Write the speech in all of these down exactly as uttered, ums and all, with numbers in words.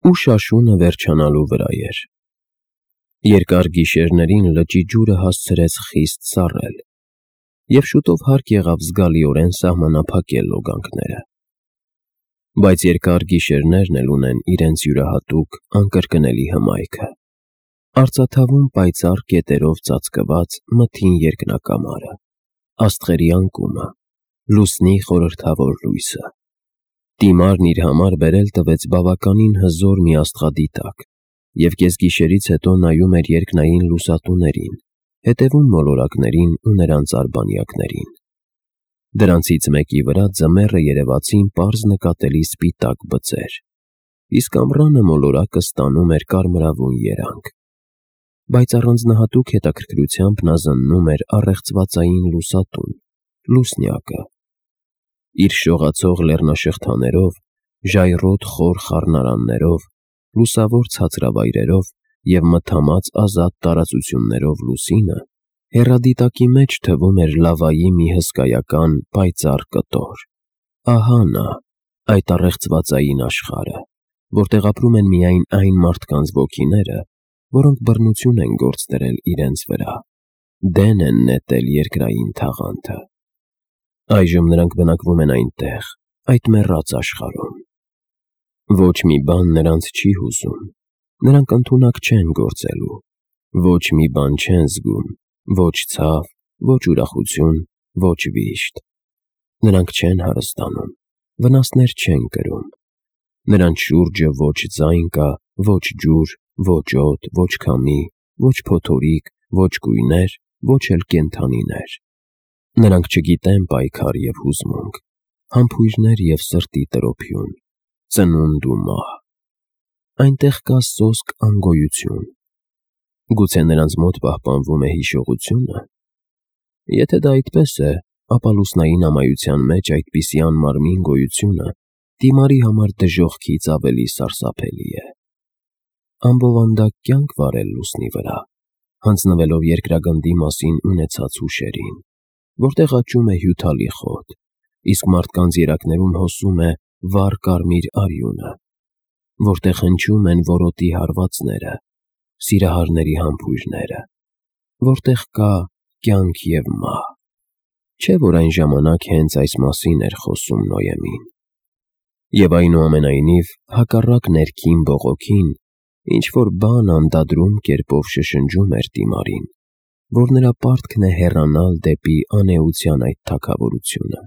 ու շաշունը վերջանալու վրա էր։ Երկար գիշերներին լճի ջուրը հասցրեց խիստ սառել, և շուտով հարկ եղավ զգալիորեն սահմանափակել լոգանքները։ Բայց երկար գիշերներն էլ ունեն իրենց յուրահատուկ, անկրկնելի հմայքը։ Արծաթավում պայծառ կետերով ծածկված մթին երկնակամարը, աստղերի անկումը, լուսնի խորհրդավոր լույսը։ Տիմարն իր համար բերել տվեց բավականին հզոր մի աստղադիտակ և կեսգիշերից հետո նայում էր երկնային լուսատուներին, հետևում մոլորակներին ու նրանց արբանյակներին։ Դրանցից մեկի վրա ձմեռը երևացին պարզ նկատելի սպիտակ բծեր, իսկ ամռանը մոլորակը ստանում էր կարմրավուն երանգ։ Բայց առանձնահատուկ հետաքրքրությամբ նա զննում էր առեղծվածային լուսատուն՝ լուսնյակը։ Իր շողացող լեռնաշղթաներով, ժայռոտ խոր խառնարաններով, լուսավոր ցածրավայրերով և մթամած ազատ տարածություններով լուսինը հեռադիտակի մեջ թվում էր լավայի մի հսկայական պայծառ կտոր։ Ահա նա, այդ առեղծվածային աշխարհը, որտեղ ապրում են միայն այն մարդկանց ոգիները, որոնք բռնություն են գործ դրել իրենց վրա, դեն են նետել երկրային թաղանթը։ Այժմ նրանք բնակվում են այնտեղ, այդ մեռած աշխարհում։ Ոչ մի բան նրանց չի հուզում, նրանք ընդունակ չեն գործելու, ոչ մի բան չեն զգում, ոչ ցավ, ոչ ուրախություն, ոչ վիշտ։ Նրանք չեն հարստանում, վնասներ չեն կրում։ Նրանց շուրջը ոչ ձայն կա, ոչ ջուր, ոչ օդ, ոչ քամի, ոչ փոթորիկ, ոչ կույներ, ոչ էլ կենդանիներ։ Նրանք չգիտեն պայքար և հուզմունք, համբույրներ և սրտի տրոփյուն, ծնունդ ու մահ։ Այնտեղ կա սոսկ անգոյություն։ Գուցե նրանց մոտ պահպանվում է հիշողությո՞ւնը։ Եթե դա այդպես է, ապա լուսնային ամայության մեջ այդպիսի անմարմին գոյությունը դիմարի համար դժոխքից ավելի սարսափելի է։ Անբովանդակ կյանք վարել լուսնի վրա, հանձնվելով երկրագնդի մասին ունեցած հուշերին, որտեղ աճում է հյութալի խոտ, իսկ մարդկանց երակներում հոսում է վառ կարմիր արյունը, որտեղ հնչում են որոտի հարվածները, սիրահարների համբույրները, որտեղ կա կյանք և մահ։ Չէ՞ որ այն ժամանակ հենց այս մասին էր խոսում Նոյեմին։ Եվ այնուամենայնիվ, հակառակ ներքին բողոքին, ինչ-որ բան անդադրում կերպով շշնջում էր Տիմարին, որ նրա պարտքն է հեռանալ դեպի անէության այդ թագավորությունը։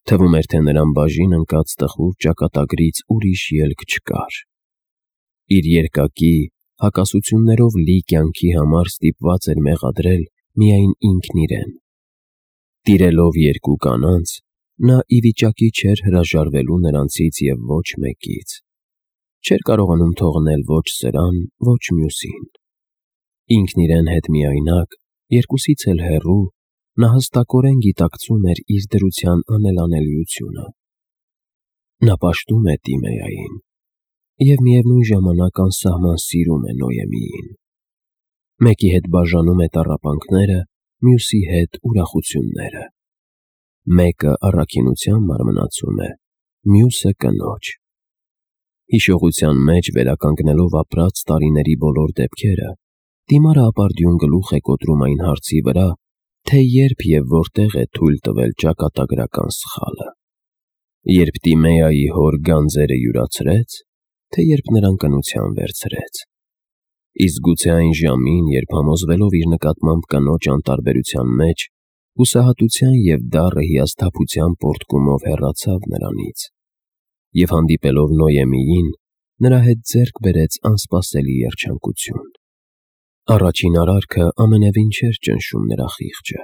Թվում էր, թե նրան բաժին ընկած տխուր ճակատագրից ուրիշ ելք չկար։ Իր երկակի, հակասություններով լի կյանքի համար ստիպված էր մեղադրել միայն ինքն իրեն։ Տիրելով երկու կանանց, նա ի վիճակի չէր հրաժարվելու նրանցից և ոչ մեկից։ Չէր կարողանում թողնել ոչ սրան, ոչ մյուսին։ Ինքն իրեն հետ միայնակ, երկուսից էլ հեռու, նա հստակորեն գիտակցում էր իր դրության անելանելիությունը։ Նա պաշտում է Տիմեային և միևնույն ժամանակ անսահման սիրում է Նոյեմիին։ Մեկի հետ բաժանում է տառապանքները, մյուսի հետ ուրախությունները։ Մեկը առաքինության մարմնացում է, մյուսը կնոջ։ Հիշողության մեջ վերականգնելով ապրած տարիների բոլոր դեպքերը, Տիմարը ապարդյուն գլուխ է կոտրում այն հարցի վրա, թե երբ և որտեղ է թույլ տվել ճակատագրական սխալը։ Երբ Տիմեայի հոր գանձերը յուրացրեց, թե երբ նրան կնության վերցրեց։ Իսկ գուցե այն ժամին, երբ համոզվելով իր նկատմամբ կնոջ անտարբերության մեջ, հուսահատության և դառը հիասթափության պոռթկումով հեռացավ նրանից և հանդիպելով Նոյեմիին, նրա հետ ձեռք բերեց անսպասելի երջանկություն։ Առաջին արարքը ամենևին չէր ճնշում նրա խիղճը։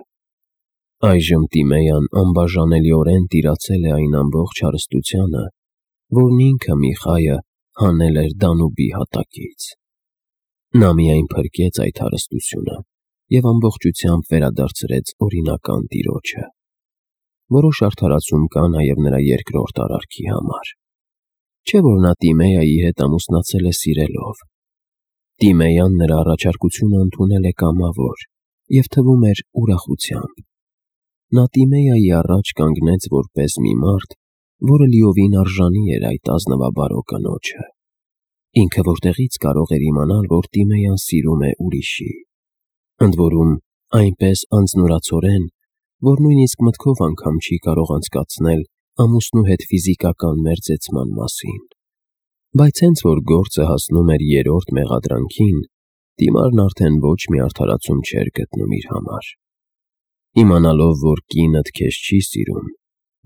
Այժմ Տիմեյան անբաժանելիորեն տիրացել է այն ամբողջ հարստությանը, որն ինքը Միխայը հանել էր Դանուբի հատակից։ Նա միայն փրկեց այդ հարստությունը և ամբողջությամբ վերադարձրեց օրինական տիրոջը։ Որոշ արդարացում կա նաև նրա երկրորդ արարքի համար։ Չէ՞ որ նա Տիմեայի հետ ամուսնացել է սիրելով։ Տիմեյան նրա առաջարկությունը ընդունել է կամավոր և թվում էր ուրախությամբ։ Նա Տիմեայի առաջ կանգնեց որպես մի մարդ, որը լիովին արժանի էր այդ ազնվաբարո կնոջը։ Ինքը որտեղից կարող էր իմանալ, որ Տիմեյան սիրում է ուրիշի։ Ընդ որում, այնպես անձնուրացորեն, որ նույնիսկ մտքով անգամ չի կարող անցկացնել ամուսնու հետ ֆիզիկական մերձեցման մասին։ Բայց հենց որ գործը հասնում էր երրորդ մեղադրանքին, Տիմարն արդեն ոչ մի արդարացում չէր գտնում իր համար։ Իմանալով, որ կինդ քեզ չի սիրում,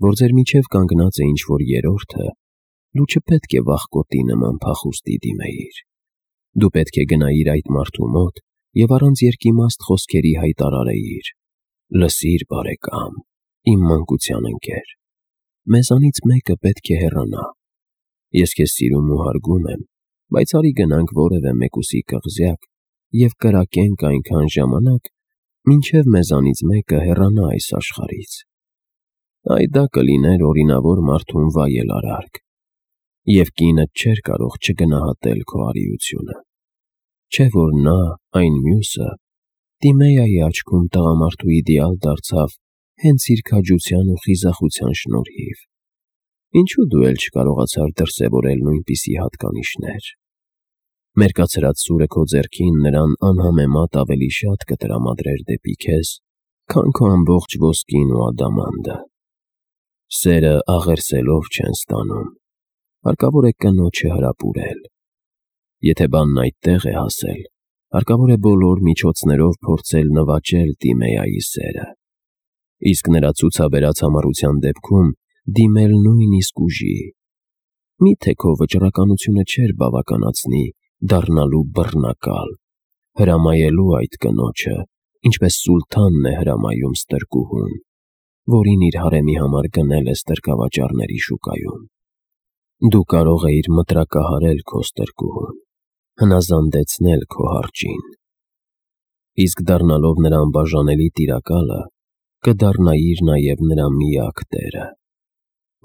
որ ձեր միջև կանգնած է ինչ-որ երրորդը, դու չպետք է վախկոտի նման փախուստի դիմեիր։ Դու պետք է գնայիր այդ մարդու մոտ և առանց երկիմաստ խոսքերի հայտարարեիր. «Լսիր, բարեկամ, իմ մանկության ընկեր, մեզանից մեկը պետք է հեռանա։ Ես քեզ սիրում ու հարգում եմ, բայց արի գնանք որևէ մեկուսի կղզյակ և կրակենք այնքան ժամանակ, մինչև մեզանից մեկը հեռանա այս աշխարհից»։ Այ դա կլիներ օրինավոր մարդուն վայել արարք, և կինդ չէր կարող չգնահատել քո արիությունը։ Չէ՞ որ նա, այն մյուսը, Տիմեյայի աչքում տղամարդու իդեալ դարձավ հենց իր քաջության ու խիզախության շնորհիվ։ Ինչու դու էլ չկարողացար դրսևորել նույնպիսի հատկանիշներ։ Մերկացրած սուրը քո ձեռքին նրան անհամեմատ ավելի շատ կտրամադրեր դեպի քեզ, քան քո ամբողջ ոսկին ու ադամանդը։ Սերը աղերսելով չեն ստանում, հարկավոր է կնոջը հրապուրել։ Եթե բանն այդտեղ է հասել, հարկավոր է բոլոր միջոցներով փորձել նվաճել Տիմեյայի սերը, իսկ նրա ցուցաբերած համառության դեպքում դիմել նույնիսկ ուժի։ Մի՞թե քո վճռականությունը չէր բավականացնի դառնալու բռնակալ, հրամայելու այդ կնոջը, ինչպես սուլթանն է հրամայում ստրկուհուն, որին իր հարեմի համար գնել է ստրկավաճառների շուկայում։ Դու կարող էիր մտրակահարել քո ստրկուհուն, հնազանդեցնել քո հարճին, իսկ դառնալով նրա անբաժանելի տիրակալը, կդառնայիր նաև նրա միակ տերը։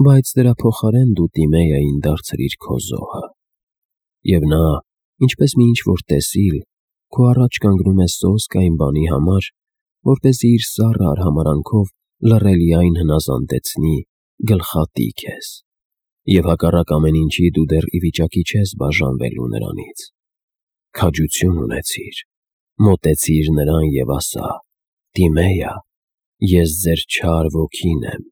Բայց դրա փոխարեն դու Տիմեյային դարձրիր քո զոհը։ Եվ նա, ինչպես մի ինչ-որ տեսիլ, քո առաջ կանգնում է սոսկ այն բանի համար, որպեսզի իր սառը արհամարհանքով լռելիայն հնազանդեցնի, գլխատի քեզ։ Եվ հակառակ ամեն ինչի դու դեռ ի վիճակի չես բաժանվելու նրանից։ Քաջություն ունեցիր, մոտեցիր նրան և ասա. «Տիմեյա, ես ձեր չար ոգին եմ,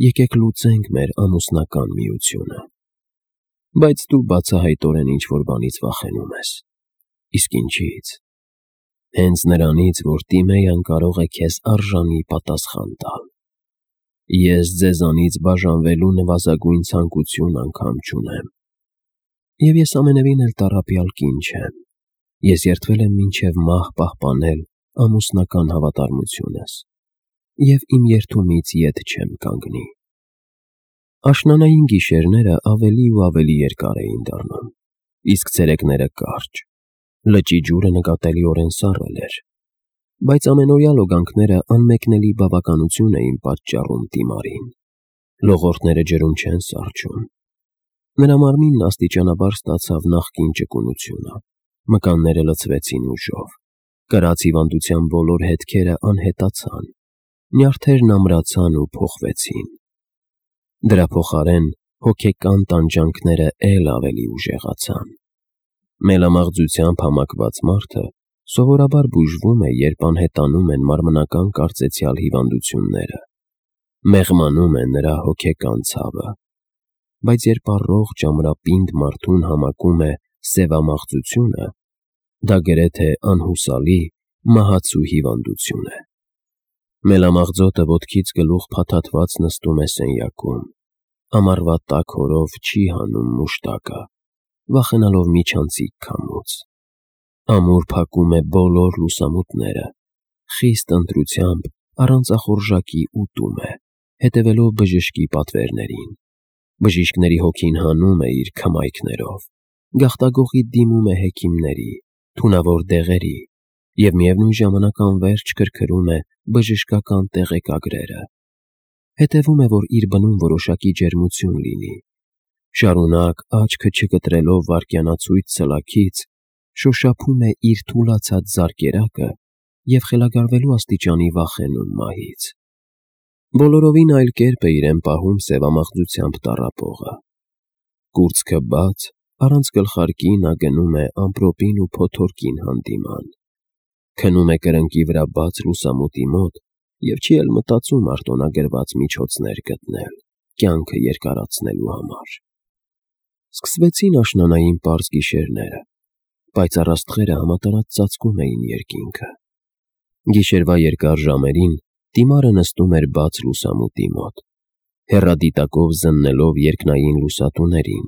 եկեք լուծենք մեր ամուսնական միությունը»։ Բայց դու բացահայտորեն ինչ-որ բանից վախենում ես։ Իսկ ինչի՞ց։ Հենց նրանից, որ Տիմեյան կարող է քեզ արժանի պատասխան տալ։ Ես ձեզանից բաժանվելու նվազագույն ցանկություն անգամ չունեմ։ Եվ ես ամենևին էլ տառապյալ կին չեմ։ Ես երդվել եմ մինչև մահ պահպանել ամուսնական հավատարմությունս և իմ երդումից ետ չեմ կանգնի։ Աշնանային գիշերները ավելի ու ավելի երկար էին դառնում, իսկ ցերեկները կարճ։ Լճի ջուրը նկատելիորեն սառել էր, բայց ամենօրյա լոգանքները անմեկնելի բավականություն էին պատճառում Տիմարին։ Լողորտները ջրում չեն սառչում։ Նրա մարմինն աստիճանաբար ստացավ նախկին ճկունությունը, մկանները լցվեցին ուժով, կրած հիվանդության բոլոր հետքերը անհետացան, նյարդերն ամրացան ու փոխվեցին։ Դրա փոխարեն հոգեկան տանջանքները էլ ավելի ուժեղացան։ Մելամաղձությամբ համակված մարդը սովորաբար բուժվում է, երբ անհետանում են մարմնական կարծեցյալ հիվանդությունները, մեղմանում է նրա հոգեկան ցավը։ Բայց երբ առողջ ամրապինդ մարդուն համակում է սևամաղձությունը, դա գրեթե անհուսալի, մահացու հիվանդություն է։ Մելամաղձոտը ոտքից գլուխ փաթաթված նստում է սենյակում, ամառվա տաք օրով չի հանում մուշտակը, վախենալով միջանցիկ քամուց։ Ամուր փակում է բոլոր լուսամուտները, խիստ ընտրությամբ առանց ախորժակի ուտում է, հետևելով բժշկի պատվերներին։ Բժիշկների հոգին հանում է իր քմայքներով, գաղտագողի դիմում է հեքիմների, թունավոր դեղերի և միևնույն ժամանակ անվերջ քրքրում է բժշկական տեղեկագրերը։ Հետևում է, որ իր բնում որոշակի ջերմություն լինի։ Շարունակ աչքը չկտրելով վայրկյանացույց ցլաքից, շոշափում է իր թուլացած զարկերակը և խելագարվելու աստիճանի վախենում մահից։ Բոլորովին այլ կերպ է իրեն պահում սևամաղձությամբ տառապողը։ Կուրծքը բաց, առանց գլխարկի նա գնում է ամպրոպին ու փոթորկին հանդիման, քնում է կրնկի վրա բաց լուսամուտի մոտ և չի էլ մտածում արտոնագրված միջոցներ գտնել, կյանքը երկարացնելու համար։ Սկսվեցին աշնանային պարզ գիշերները, պայծառ աստղերը համատարած ծածկում էին երկինքը։ Գիշերվա երկար ժամերին Դիմարը նստում էր բաց լուսամուտի մոտ, հեռադիտակով զննելով երկնային լուսատուներին,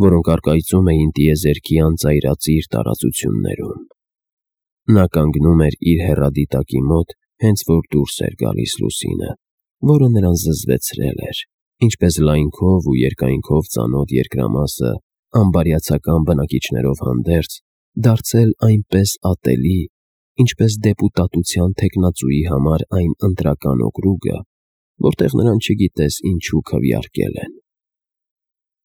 որոնք առկայծում էին տիեզերքի անծայրածիր տարածություններում։ Նա կանգնում էր իր հեռադիտակի մոտ, հենց որ դուրս էր գալիս լուսինը, որը նրան զզվեցրել էր, ինչպես լայնքով ու երկայնքով ծանոթ երկրամասը անբարյացակամ բնակիչներով հանդերձ, դարձել այնպես ատելի, ինչպես դեպուտատության թեկնածուի համար այն ընտրական օկրուգը, որտեղ նրան չգիտես ինչու քվեարկել են։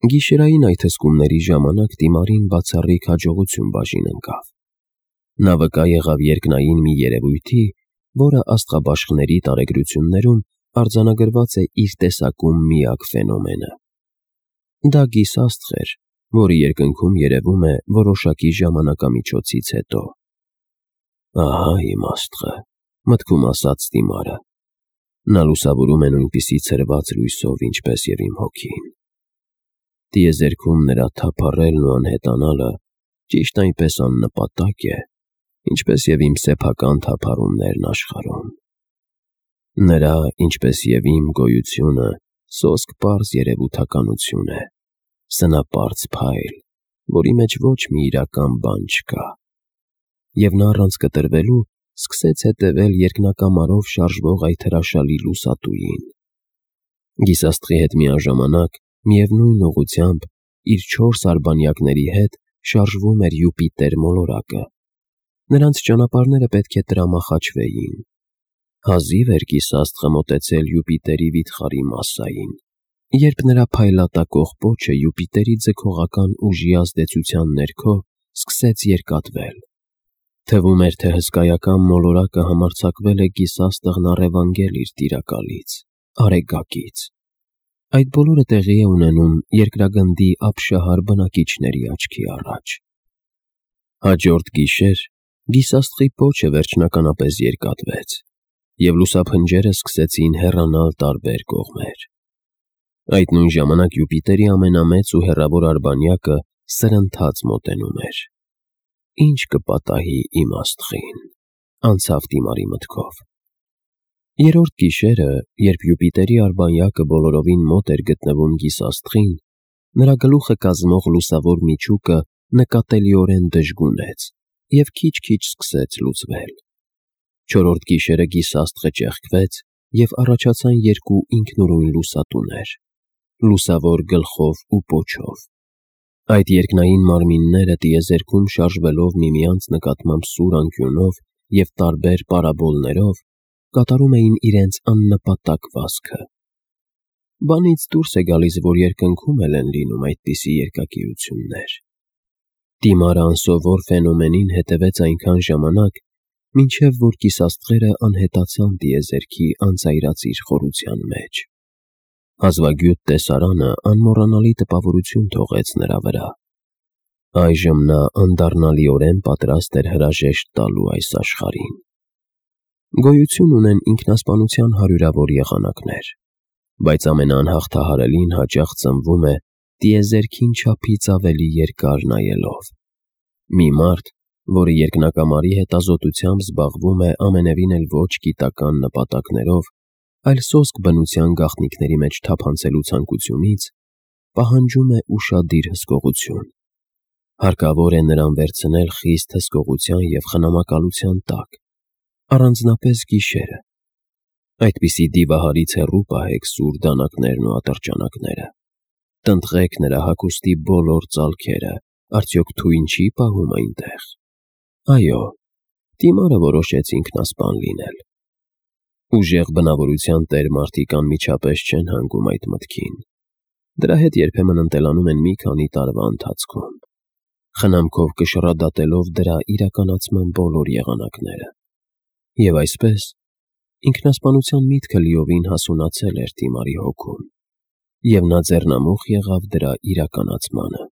Գիշերային այդ հսկումների ժամանակ Դիմարին բացառիկ հաջողություն բաժին ընկավ։ Նա վկա եղավ երկնային մի երևույթի, որը աստղաբաշխների տարեգրություններում արձանագրված է իր տեսակում միակ ֆենոմենը։ Դա գիսաստղ էր, որը երկնքում երևում է որոշակի ժամանակամիջոցից հետո։ Ահա իմ աստղը, մտքում ասաց Դիմարը։ Նա լուսավորում է նույնպիսի ցրված լույսով, ինչպես և իմ հոգին։ Տիեզերքում նրա թափառելն ու անհետանալը ճիշտ այնպես աննպատակ է, ինչպես և իմ սեփական թափառումներն աշխարհում։ Նրա, ինչպես և իմ գոյությունը սոսկ պարզ երևութականություն է, սնապարծ փայլ, որի մեջ ոչ մի իրական բան չկա։ Եվ նա առանց կտրվելու սկսեց հետևել երկնակամարով շարժվող այդ հրաշալի լուսատուին։ Գիսաստղի հետ միաժամանակ, միևնույն ուղղությամբ, իր չորս արբանյակների հետ շարժվում էր Յուպիտեր մոլորակը։ Նրանց ճանապարհները պետք է տրամախաչվեին։ Հազիվ էր գիսաստղը մոտեցել Յուպիտերի վիթխարի մասսային, երբ նրա փայլատակող պոչը Յուպիտերի ձգողական ուժի ազդեցության ներքո սկսեց երկատվել։ Թվում էր, թե հսկայական մոլորակը համարձակվել է գիսաստղն առևանգել իր տիրակալից, Արեգակից։ Այդ բոլորը տեղի է ունենում երկրագնդի ապշահար բնակիչների աչքի առաջ։ Հաջորդ գիշեր գիսաստղի պոչը վերջնականապես երկատվեց, և լուսափնջերը սկսեցին հեռանալ տարբեր կողմեր։ Այդ նույն ժամանակ Յուպիտերի ամենամեծ ու հեռավոր արբանյակը սրընթաց մոտենում էր։ Ինչ կպատահի իմ աստղին, անցավ Դիմարի մտքով։ Երրորդ գիշերը, երբ Յուպիտերի արբանյակը բոլորովին մոտ էր գտնվում գիսաստղին, նրա գլուխը կազմող լուսավոր միջուկը նկատելիորեն դժգունեց և քիչ-քիչ սկսեց լուծվել։ Չորրորդ գիշերը գիսաստղը ճեղքվեց, և առաջացան երկու ինքնուրույն լուսատուներ՝ լուսավոր գլխով ու պոչով։ Այդ երկնային մարմինները տիեզերքում շարժվելով միմյանց նկատմամբ սուր անկյունով և տարբեր պարաբոլներով, կատարում էին իրենց աննպատակ վազքը։ Բանից դուրս է գալիս, որ երկնքում էլ են լինում այդպիսի երկակիություններ։ Դիմարը անսովոր ֆենոմենին հետևեց այնքան ժամանակ, մինչև որ գիսաստղերը անհետացան տիեզերքի անծայրածիր խորության մեջ։ Հազվագյուտ տեսարանը անմոռանալի տպավորություն թողեց նրա վրա։ Այժմ նա անդառնալիորեն պատրաստ էր հրաժեշտ տալու այս աշխարհին։ Գոյություն ունեն ինքնասպանության հարյուրավոր եղանակներ, բայց ամենաանհաղթահարելին հաճախ ծնվում է տիեզերքին չափից ավելի երկար նայելով։ Մի մարդ, որը երկնակամարի հետազոտությամբ զբաղվում է ամենևին էլ ոչ գիտական նպատակներով, այլ սոսկ բնության գաղտնիքների մեջ թափանցելու ցանկությունից, պահանջում է ուշադիր հսկողություն։ Հարկավոր է նրան վերցնել խիստ հսկողության և խնամակալության տակ, առանձնապես գիշերը։ Այդպիսի դիվահարից հեռու պահեք սուր դանակներն ու ատրճանակները։ Տնտղեք նրա հագուստի բոլոր ծալքերը, արդյոք թույն չի պահում այնտեղ։ Այո, Դիմարը որոշեց ինքնասպան լինել։ Ուժեղ բնավորության տեր մարդիկ անմիջապես չեն հանգում այդ մտքին։ Դրա հետ երբեմն ընտելանում են մի քանի տարվա ընթացքում, խնամքով կշռադատելով դրա իրականացման բոլոր եղանակները։ Եվ այսպես, ինքնասպանության միտքը լիովին հասունացել էր Դիմարի հոգում, և նա ձեռնամուխ եղավ դրա իրականացմանը։